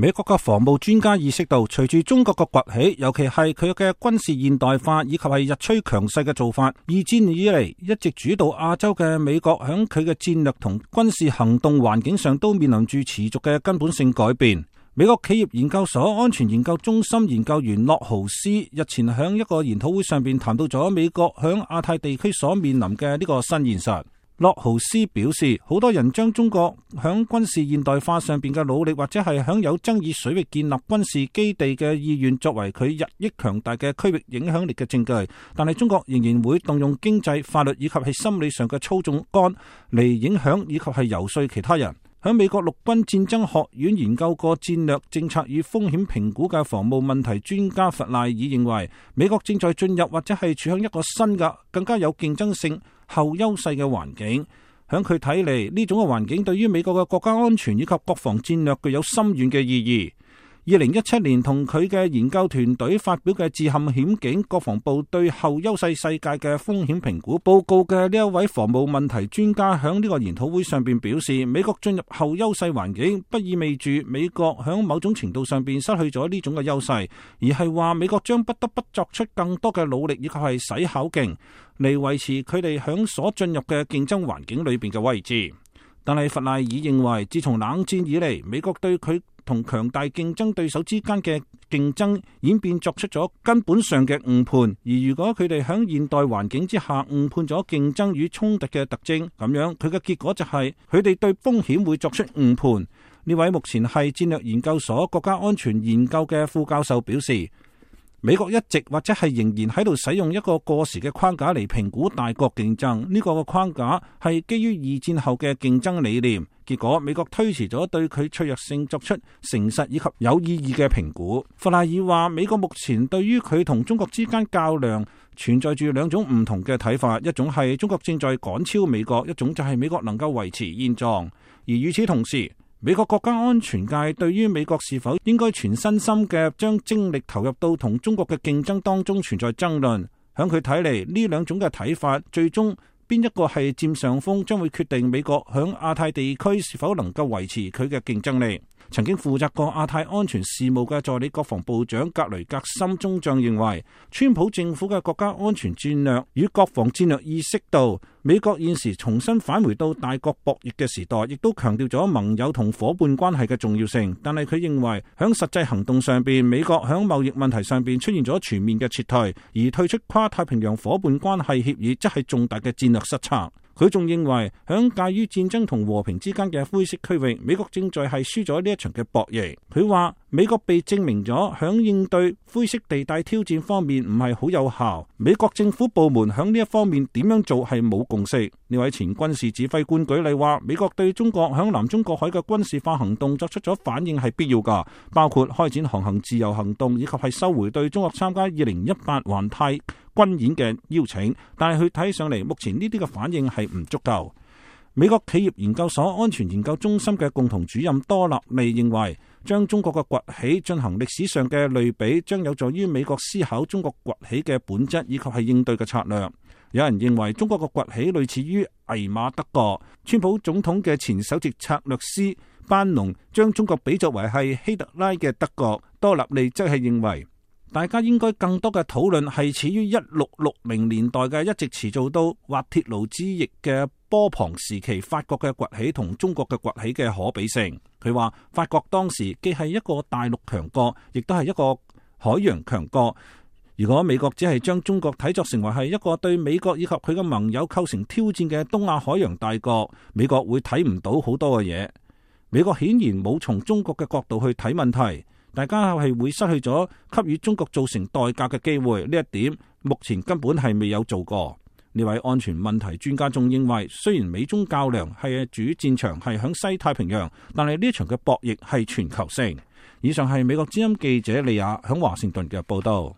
美國嘅防務專家意識到，隨住中國嘅崛起，尤其係佢嘅軍事現代化以及係日趨強勢嘅做法，二戰以嚟一直主導亞洲嘅美國響佢嘅戰略同軍事行動環境上都面臨住持續嘅根本性改變。美國企業研究所安全研究中心研究員洛豪斯日前響一個研討會上邊談到咗美國響亞太地區所面臨嘅呢個新現實。洛豪斯表示，好多人將中國響軍事現代化上邊嘅努力，或者係響有爭議水域建立軍事基地嘅意願，作為佢日益強大嘅區域影響力嘅證據。但係中國仍然會動用經濟、法律以及係心理上嘅操縱桿嚟影響以及係游說其他人。喺美國陸軍戰爭學院研究過戰略政策與風險評估嘅防務問題專家弗賴爾認為，美國正在進入或者係處向一個新嘅、更加有競爭性、後優勢嘅環境。響佢睇嚟，呢種嘅環境對於美國嘅國家安全以及國防戰略具有深遠嘅意義。2017年同佢嘅研究團隊發表嘅致陷險境國防部對後優勢世界嘅風險評估報告嘅呢一位防務問題專家響呢個研討會上邊表示，美國進入後優勢環境不意味住美國響某種程度上邊失去咗呢種嘅優勢，而係話美國將不得不作出更多嘅努力以及係使巧勁嚟維持佢哋響所進入嘅競爭環境裏邊嘅位置。但係弗賴爾認為，自從冷戰以嚟，美國對佢同強大競爭對手之間嘅競爭演變作出咗根本上嘅誤判，而如果佢哋喺現代環境之下誤判咗競爭與衝突嘅特徵，咁樣佢嘅結果就係佢哋對風險會作出誤判。呢位目前係戰略研究所國家安全研究嘅副教授表示，美國一直或者係仍然喺度使用一個過時嘅框架嚟評估大國競爭，呢個框架係基於二戰後嘅競爭理念。結果美國推遲咗對佢脆弱性作出誠實以及有意義嘅評估。弗賴爾話，美國目前對於佢同中國之間較量存在住兩種唔同嘅睇法，一種係中國正在趕超美國，一種就係美國能夠維持現狀。而與此同時，美國國家安全界對於美國是否應該全身心嘅將精力投入到同中國嘅競爭當中存在爭論。響佢睇嚟，呢兩種嘅睇法最終邊一個係佔上風，將會決定美國響亞太地區是否能夠維持佢嘅競爭力。曾經負責過亞太安全事務嘅助理國防部長格雷格森中將認為，川普政府嘅國家安全戰略與國防戰略意識到美國現時重新返回到大國博弈嘅時代，亦都強調咗盟友同伙伴關係嘅重要性。但係佢認為響實際行動上邊，美國響貿易問題上邊出現咗全面嘅撤退，而退出跨太平洋伙伴關係協議則係重大嘅戰略失策。佢仲認為，響介於戰爭同和平之間嘅灰色區域，美國正在係輸咗呢一場嘅博弈。佢話美國被證明咗響應對灰色地帶挑戰方面唔係好有效，美國政府部門響呢一方面點樣做係冇共識。呢位前軍事指揮官舉例話，美國對中國響南中國海嘅軍事化行動作出咗反應係必要㗎，包括開展航行自由行動以及係收回對中國參加2018環太軍演嘅邀請，但係佢睇上嚟，目前呢啲嘅反應係唔足夠。美國企業研究所安全研究中心嘅共同主任多納利認為，將中國嘅崛起進行歷史上嘅類比，將有助於美國思考中國崛起嘅本質以及係應對嘅策略。有人認為中國嘅崛起類似於魏瑪德國，川普總統嘅前首席策略師班農將中國比作為係希特拉嘅德國。多納利則係認為，大家應該更多嘅討論係始於1660年代嘅一直持續到滑鐵盧之役嘅波旁時期法國嘅崛起同中國嘅崛起嘅可比性。佢話法國當時既係一個大陸強國，亦都係一個海洋強國。如果美國只係將中國睇作成為係一個對美國以及佢嘅盟友構成挑戰嘅東亞海洋大國，美國會睇唔到好多嘅嘢。美國顯然冇從中國嘅角度去睇問題，大家係會失去咗給予中國造成代價嘅機會。呢一點目前根本係未有做過。呢位安全問題專家仲認為，雖然美中較量係主戰場係響西太平洋，但係呢一場嘅博弈係全球性。以上係美國之音記者利亞響華盛頓嘅報道。